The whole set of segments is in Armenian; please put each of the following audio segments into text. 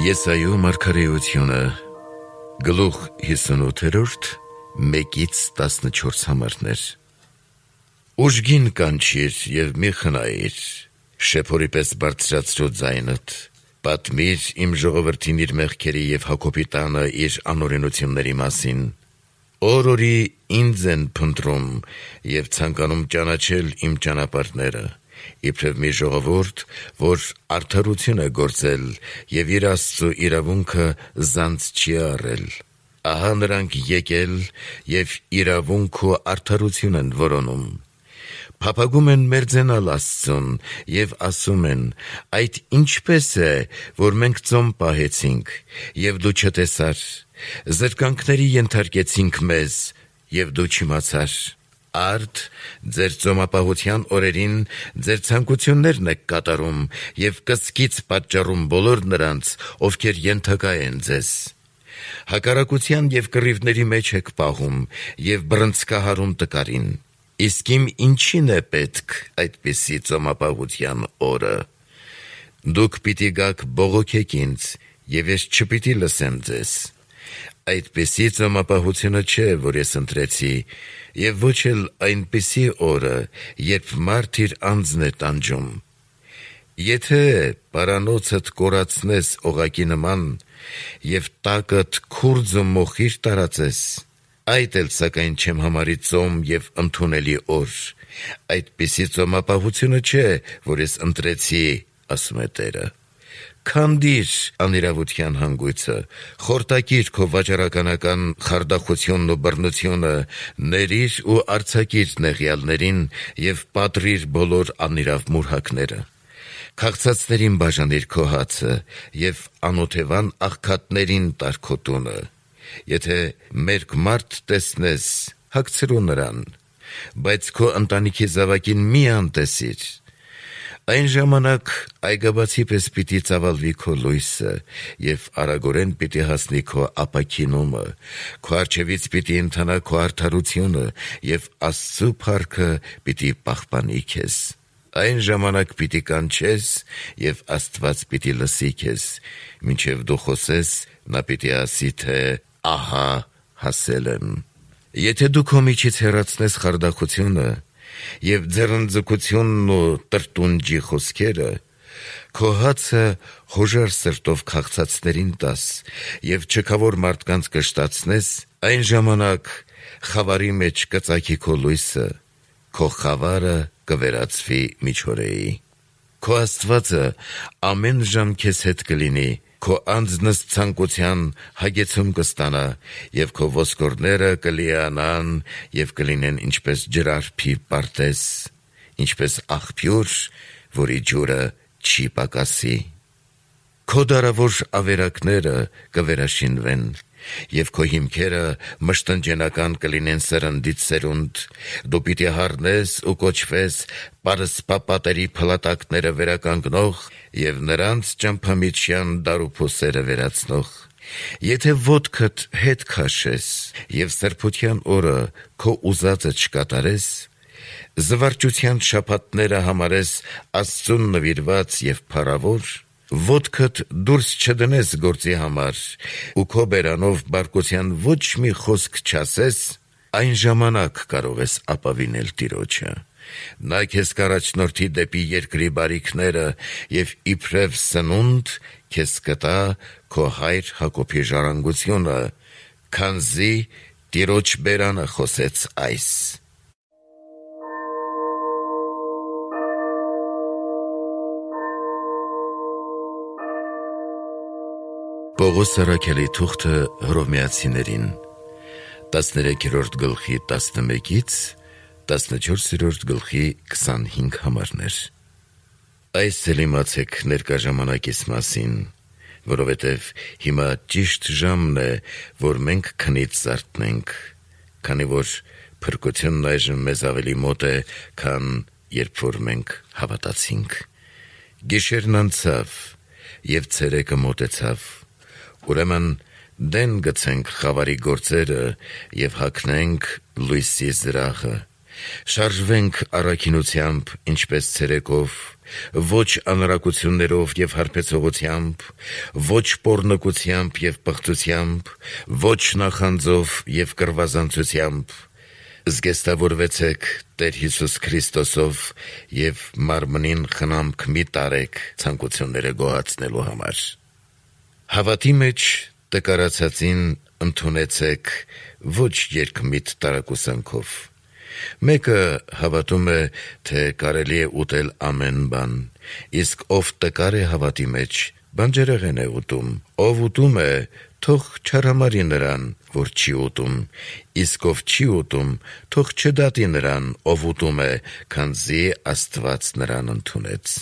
Եսայու մարգարեությունը գլուխ 58 1-14 համարներ։ Ուժգին կանչիր և մի խնայիր, շեփորի պես բարձրացրու ձայնդ, պատմիր իմ ժողովրդին իր մեղքերի և Հակոբի տանը իր անօրենությունների մասին։ Օր-օրի ինձ են փնտրում և ցանկանում ճանաչել իմ ճանապարհները, իբրև մի ժողովուրդ, որ արդարություն է գործել և իր Աստծու իրավունքը զանց չի առել։ Ահա նրանք եկել և իրավունք ու արդարություն են որոնում։ Փափագում են մերձենալ Աստծուն և ասում են. «Այդ ինչպե՞ս է, որ մենք ծոմ պահեցինք, և դու չտեսար, զրկանքների ենթարկեցինք մեզ, և դու չիմացար»։ Արդ ձեր ծոմապահության օրերին ձեր ցանկություններն եք կատարում և կսկիծ պատճառում բոլոր նրանց, ովքեր ենթակա են ձեզ։ Հակառակության և կռիվների մեջ եք պահում և բռնցքահարում տկարին։ Իսկ իմ ինչի՞ն է պետք այդպիսի ծոմապահության օրը։ Դուք պիտի գաք բողոքեք ինձ, և ես չպիտի լսեմ ձեզ։ Այդպիսի ծոմապահությունը չէ, որ ես ընտրեցի, և ոչ էլ այնպիսի օրը, երբ մարդ իր անձն է տանջում։ Եթե պարանոցդ կորացնես օղակի նման և տակդ քուրձ ու մոխիր տարածես, այդ էլ սակայն չեմ համարի ծոմ և ընդունելի օր։ Այդպիսի ծոմապահությունը չէ, որ ես ընտրեցի, ասում է Տերը։ Քանդիր անիրավության հանգույցը, խորտակիր քո վաճառականական խարդախությունն ու բռնությունը, ներիր ու արձակիր նեղյալներին և պատռիր բոլոր անիրավ մուրհակները։ Քաղցածներին բաժանիր քո հացը և անօթևան աղքատներին տար քո տունը։ Եթե մերկ մարդ տեսնես, հագցրու նրան, բայց քո ընտանիքի զավակին մի անտեսիր։ Այն ժամանակ այգաբացի պես պիտի ծավալվի քո լույսը, և արագորեն պիտի հասնի քո ապաքինումը, քո առջևից պիտի ընթանա քո արդարությունը, և Աստծու փառքը պիտի պահպանի քեզ։ Այն ժամանակ պիտի կանչես, և Աստված պիտի լսի քեզ, մինչև դու խոսես, նա պիտի ասի, թե «Ահա հասել եմ»։ Եթե դու քո միջից հեռացնես խարդախությունը և ձեռնձգությունն ու տրտունջի խոսքերը, քո հացը հոժար սրտով քաղցածներին տաս և չքավոր մարդկանց կշտացնես, այն ժամանակ խավարի մեջ կծագի քո լույսը, քո խավարը կվերածվի միջօրեի։ Քո Աստվածը ամեն ժամ քեզ հետ կլինի, քո անձնս ցանկության հագեցում կստանա, և քո ոսկորները կլիանան և կլինեն ինչպես ջրարբի պարտեզ, ինչպես աղբյուր, որի ջուրը չի պակասի։ Քո դարավոր ավերակները կվերաշինվեն, և քո հիմքերը մշտնջենական կլինեն սերնդից սերունդ։ Դու պիտի հառնես ու կոչվես պարսպա պատերի փլատակները վերականգնող և նրանց ճամփամիջյան դարուփոսերը վերացնող։ Եթե ոտքդ հետ քաշես և սրբության օրը քո ուզածը չկատարես, զվարճության շաբաթները համարես Աստծուն նվիրված և փառավոր, ոտքդ դուրս չդնես գործի համար ու քո բերանով բարկության ոչ մի խոսք չասես, այն ժամանակ կարող ես ապավինել Տիրոջը։ Նա քեզ կառաջնորդի դեպի երկրի բարիքները և իբրև սնունդ քեզ կտա քո հայր Հակոբի ժառանգությունը, քանզի Տիրոջ բերանը խոսեց այս։ Պողոս առաքյալի թուղթը Հռոմեացիներին 13-րդ գլխի 11-ից 14-րդ գլխի 25 համարներ։ Այս էլ իմացեք ներկա ժամանակիս մասին, որովհետև հիմա ճիշտ ժամն է, որ մենք քնից զարթնենք, քանի որ փրկությունն այժմ մեզ ավելի մոտ է, քան երբ որ մենք հավատացինք։ Գիշերն անցավ, և ցերեկը մոտեցավ։ Ուրեմն դեն գցենք խավարի գործերը և հագնենք լույսի զրահը Շարժվենք առաքինությամբ, ինչպես ցերեկով, ոչ անարակություններով եւ հարբեցողությամբ, ոչ պոռնկությամբ եւ պղծությամբ, ոչ նախանձով եւ կռվազանցությամբ, զգեստավորվեցեք Տեր Հիսուս Քրիստոսով եւ մարմնին խնամք մի տարեք ցանկությունները գոհացնելու համար։ Հավատի մեջ տկարացածին ընդունեցեք ոչ երկմիտ տարակուսանքով։ Մեկը հավատում է, թե կարելի է ուտել ամեն բան, իսկ ով տկար է հավատի մեջ, բանջարեղեն է ուտում, ով ուտում է, թող չարհամարի նրան, որ չի ուտում, իսկ ով չի ուտում, թող չդատի նրան, ով ուտում է, քանզի Աստված նրան ընդունեց։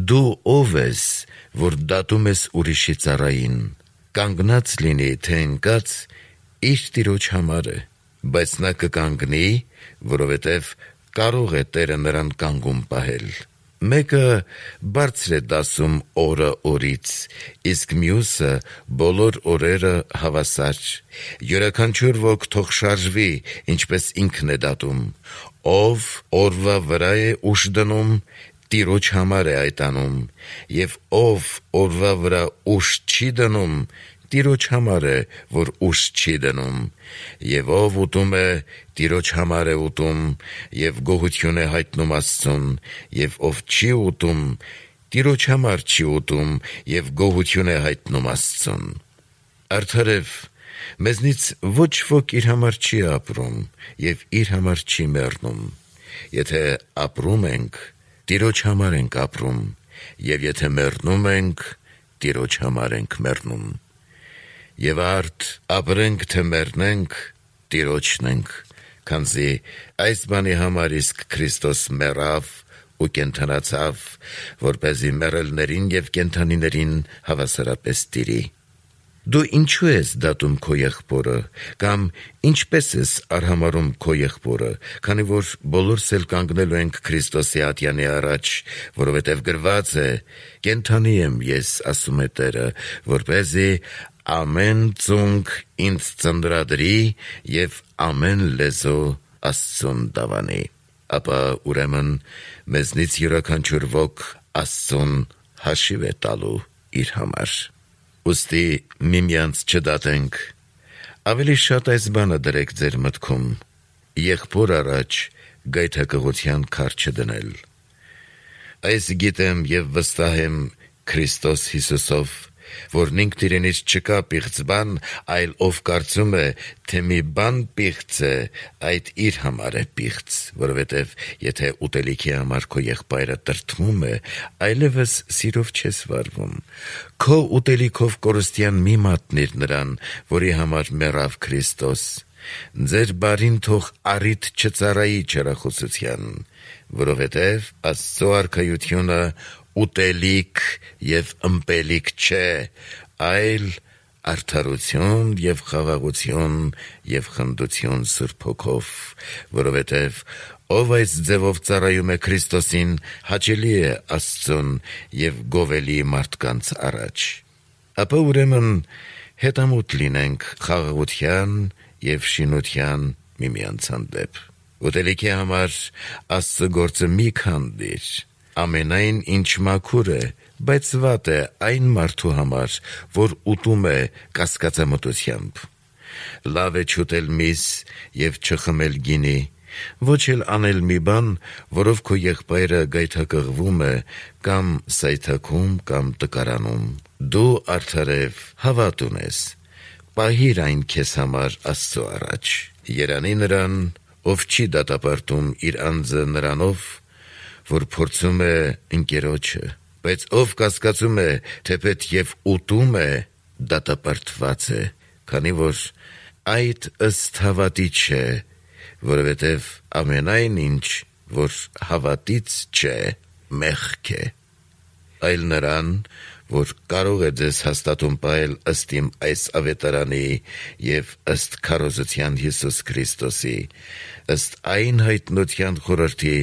Դու ով ես, որ դատում ես ուրիշի ծառային, կանգնած լինի, թե ընկած, իր տիրոջ համար է, բայց նա կկանգնի, որովհետև կարող է Տերը նրան կանգուն պահել։ Մեկը բարձր է դասում օրը օրից, իսկ մյուսը բոլոր օրերը հավասար։ Յուրաքանչյուր ոք թող շարժվի, ինչպես ինքն է դատում։ Ով օրվա վրա է ուշ դնում, Տիրոջ համար է այդ անում, եւ ով օրվա վրա ուշ չի դնում, Տիրոջ համար է, որ ուշ չի դնում, եւ ով ուտում է, Տիրոջ համար է ուտում, եւ գոհություն է հայտնում Աստծուն, եւ ով չի ուտում, Տիրոջ համար չի ուտում, եւ գոհություն է հայտնում Աստծուն։ Արդարև, մեզնից ոչ ոք իր համար չի ապրում, եւ իր համար չի մեռնում։ Եթե ապրում ենք, Տիրոջ համար ենք ապրում, եւ եթե մեռնում ենք, Տիրոջ համար ենք մեռնում։ Եվ արդ ապրենք թե մեռնենք, Տիրոջն ենք, քանզի այս բանի համար իսկ Քրիստոս մեռավ ու կենդանացավ, որպեսզի մեռելներին եւ կենդանիներին հավասարապես տիրի։ Դու ինչու ես դատում քո եղբորը, կամ ինչպես ես արհամարհում քո եղբորը, քանի որ բոլորս էլ կանգնելու ենք Քրիստոսի ատյանի առաջ, որովհետև գրված է. «Կենդանի եմ ես, ասում է Տերը, որպեսզի ամեն ծունկ ինձ ծննդրադրի եւ ամեն լեզու Աստծուն դավանի»։ Ապա ուրեմն մեզնից յուրաքանչյուր ոք Աստծուն հաշիվ է տալու իր համար։ Ուստի միմյանց չդատենք, ավելի շատ այս բանը դրեք ձեր մտքում. եղբոր առաջ գայթակղության քար չդնել։ Այս գիտեմ եւ վստահ եմ Քրիստոս Հիսուսով, որն ինքն իրենից չկա պիղծ բան, այլ ով կարծում է, թե մի բան պիղծ է, այդ իր համար է պիղծ, որովհետև եթե ուտելիքի համար քո եղբայրը տրտմում է, այլևս սիրով չես վարվում։ Քո ուտելիքով կորստյան մի մատնիր նրան, որի համար մեռավ Քրիստոս։ Ձեր բարին թող առիթ չծառայի չարախոսության, որովհետև Աստծո արքայությունը ուտելիք եւ ըմպելիք չէ, այլ արդարություն եւ խաղաղություն եւ խնդություն Սուրբ Հոգով, որովհետև ով այս ձևով ծառայում է Քրիստոսին, հաճելի է Աստծուն եւ գովելի մարդկանց առաջ։ Ապա ուրեմն հետամուտ լինենք խաղաղության եւ շինության միմյանց հանդեպ։ Ուտելիքի համար Աստծո գործը մի քանդիր։ Ամենայն ինչ մաքուր է, բայց վատ է այն մարդու համար, որ ուտում է կասկածամտությամբ։ Լավ է չուտել միս եւ չխմել գինի, ոչ էլ անել մի բան, որով քո եղբայրը գայթակղվում է, կամ սայթաքում, կամ տկարանում։ Դու արդարև հավատ ունես, պահիր այն քեզ համար Աստծո առաջ։ Երանի նրան, ով չի դատապարտում իր անձը նրանով, որ փորձում է ընկերոջը, բայց ով կասկածում է, թեպետ եւ ուտում է, դատապարտված է, քանի որ այդ ըստ հավատի չէ, որովհետև ամենայն ինչ, որ հավատից չէ, մեղք է։ Այլ նրան, որ կարող է ձեզ հաստատում պահել ըստ իմ այս ավետարանի եւ ըստ քարոզության Հիսուս Քրիստոսի, ըստ այն հայտնության խորհրդի,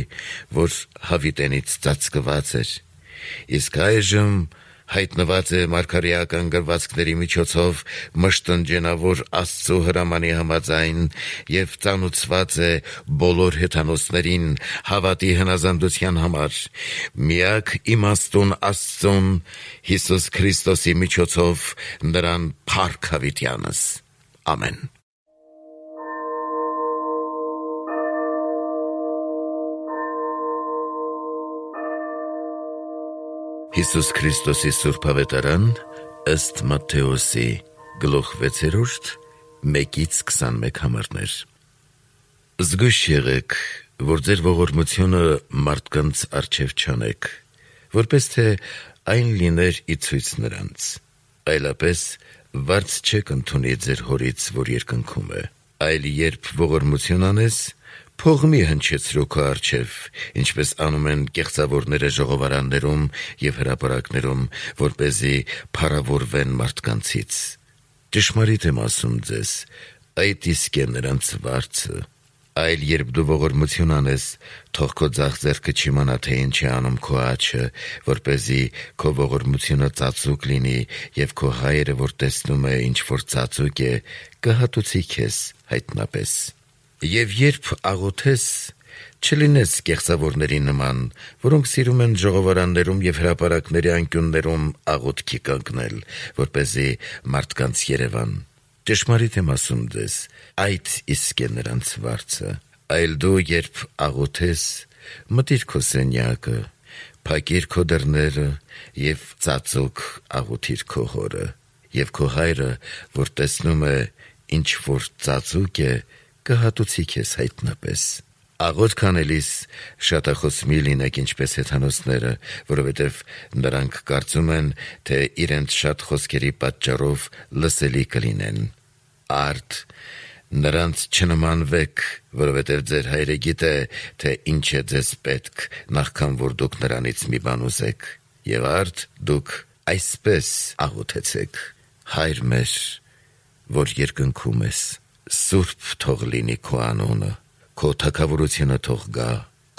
որ հավիտենից ծածկված էր, իսկ այժմ հայտնված է մարգարեական գրվածքների միջոցով մշտնջենավոր Աստծո հրամանի համաձայն եւ ծանուցված է բոլոր հեթանոսներին հավատի հնազանդության համար, միակ իմաստուն Աստծուն Հիսուս Քրիստոսի միջոցով նրան փառք հավիտյանս։ Ամեն։ Հիսուս Քրիստոսի Սուրբ Ավետարան ըստ Մատթեոսի գլուխ 6, 1-21 համարներ։ Զգույշ եղեք, որ ձեր ողորմությունը մարդկանց առջև չանեք, որպես թե այն լիներ ի ցույց նրանց, այլապես վարձ չեք ընդունի ձեր հորից, որ երկնքում է, այլ երբ ողորմություն անես, փող մի հնչեցրու քո առջև, ինչպես անում են կեղծավորները ժողովարաններում և հրապարակներում, որպեսզի փառավորվեն մարդկանցից։ Ճշմարիտ եմ ասում ձեզ, այդ իսկ է նրանց վարձը։ Այլ երբ դու ողորմություն անես, թող քո ձախ ձեռքը չիմանա, թե ինչ է անում քո աջը, որպեսզի քո ողորմությունը ծածուկ լինի, և քո հայրը, որ տեսնում է, ինչ որ ծածուկ է, կհատուցի քեզ հայտնապես։ Եվ երբ աղոթես, չլինես կեղծավորների նման, որոնք սիրում են ժողովարաններում և հրապարակների անկյուններում աղոթքի կանգնել, որպեսզի մարդկանց երևան։ Ճշմարիտ եմ ասում ձեզ, այդ իսկ է նրանց վարձը։ Այլ դու, երբ աղոթես, մտիր քո սենյակը, փակիր քո դռները և ծածուկ աղոթիր քո հորը, և քո հայրը, որ տեսնում է, ինչ որ ծածուկ է, կհատուցի քեզ հայտնապես։ Աղոթք անելիս շատախոս մի լինեք ինչպես հեթանոսները, որովհետև նրանք կարծում են, թե իրենց շատ խոսքերի պատճառով լսելի կլինեն։ Արդ, նրանց չնմանվեք, որովհետև ձեր հայրը գիտե, թե ինչ է ձեզ պետք, նախքան որ դուք նրանից մի բան ուզեք։ Եվ արդ, դուք այսպես աղոթեցեք. Հայր մեր, որ երկնքում ես, սուրբ թող լինի քո անունը, քո թագավորությունը թող գա,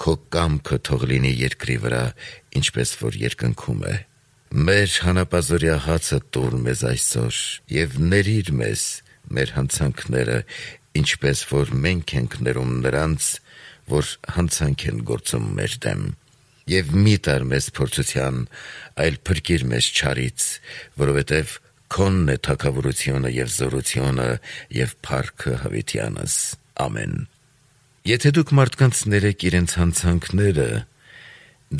քո կամքը թող լինի երկրի վրա, ինչպես որ երկնքում է։ Մեր հանապազօրյա հացը տուր մեզ այսօր, և ներիր մեզ մեր հանցանքները, ինչպես որ մենք ենք ներում նրանց, որ հանցանք են գործում մեր դեմ։ Եվ մի տար մեզ փորձության, այլ փրկիր մեզ չարից, որովհետև քոնն է թագավորությունը և զորությունը և փառքը հավիտյանս։ Ամեն։ Եթե դուք մարդկանց ներեք իրենց հանցանքները,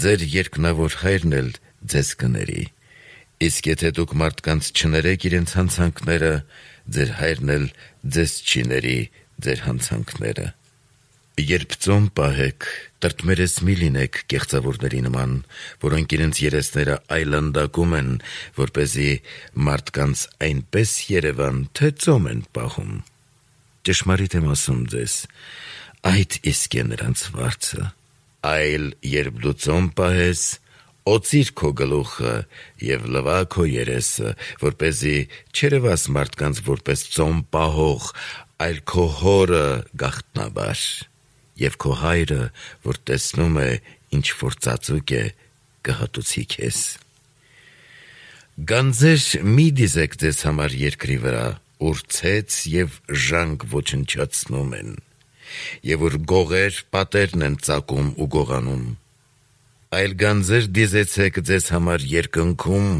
ձեր երկնավոր հայրն էլ ձեզ կների, իսկ եթե դուք մարդկանց չներեք իրենց հանցանքները, ձեր հայրն էլ ձեզ չի ների ձեր հանցանքները։ Երբ ծոմ պահեք, տրտմերես մի լինեք կեղծավորների նման, որոնք իրենց երեսները այլանդակում են, որպեսզի մարդկանց այնպես երևան, թե ծոմ են պահում։ Ճշմարիտ եմ ասում ձեզ, այդ իսկ է նրանց վարձը։ Այլ երբ դու ծոմ պահես, օծիր քո գլուխը և լվա քո երեսը, որպեսզի չերևաս մարդկանց որպես ծոմ պահող, այլ քո հորը գաղտնաբար, և քո հայրը, որ տեսնում է, ինչ որ ծածուկ է, կհատուցի քեզ։ Գանձեր մի դիզեք ձեզ համար երկրի վրա, ուր ցեց և ժանգ ոչնչացնում են, և ուր գողեր պատերն են ծակում ու գողանում, այլ գանձեր դիզեցեք ձեզ համար երկնքում,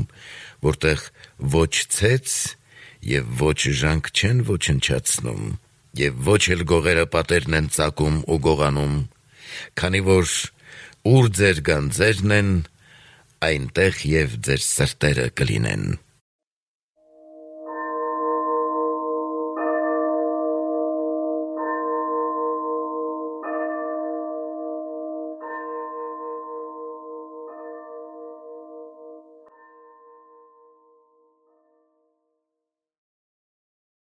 որտեղ ոչ ցեց և ոչ ժանգ չեն ոչնչացնում, և ոչ էլ գողերը պատերն են ծակում ու գողանում, քանի որ ուր ձեր գանձերն են, այնտեղ և ձեր սրտերը կլինեն։